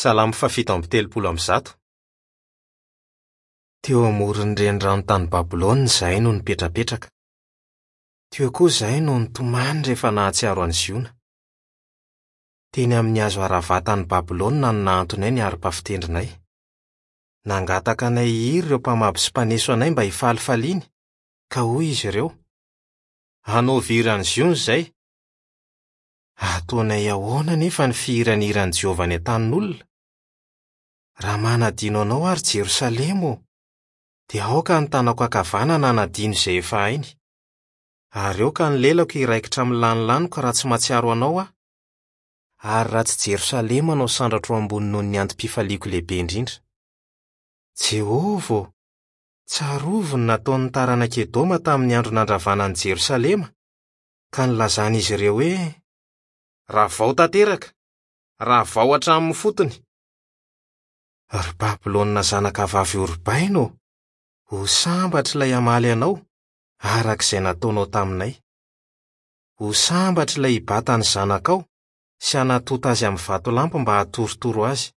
Salamo fahafito amby telopolo amby zato. Teo amoron'ny renirano tany Babylona izahay no nipetrapetraka. Teo koa izahay no nitomany rehefa nahatsiaro an'i Ziona. Teny amin'ny hazo Arava tany Babylona no nahantonay ny harpa fitendrinay. Nangataka anay hihira ireo mpamabo sy mpaneso anay mba hifalifaliany, ka hoy izy ireo, Hanaovy hiran'i Ziona izay! Ataonay ahoana anefa ny fihirana hiran'i Jehovah any an-tanin'olona? Raha manadino anao aho, ry Jerosalema ô, dia aoka ny tanako ankavanana hanadino izay efa hainy. Ary aoka ny lelako hiraikitra amin'ny lanilaniko raha tsy mahatsiaro anao aho, ary raha tsy Jerosalema no asandratro ambony noho ny antom-pifaliako lehibe indrindra. Jehovah ô, tsarovy ny nataon'ny taranak'i Edoma tamin'ny andro nandravana an'i Jerosalema, ka nilazan'izy ireo hoe, Ravao tanteraka! Ravao hatramin'ny fotony! Ry Babylona zanakavavy horobaina ô, ho sambatra ilay hamaly anao, araka izay nataonao taminay. Ho sambatra ilay hibata ny zanakao sy hanatonta azy amin'ny vatolampy mba hahatorotoro azy.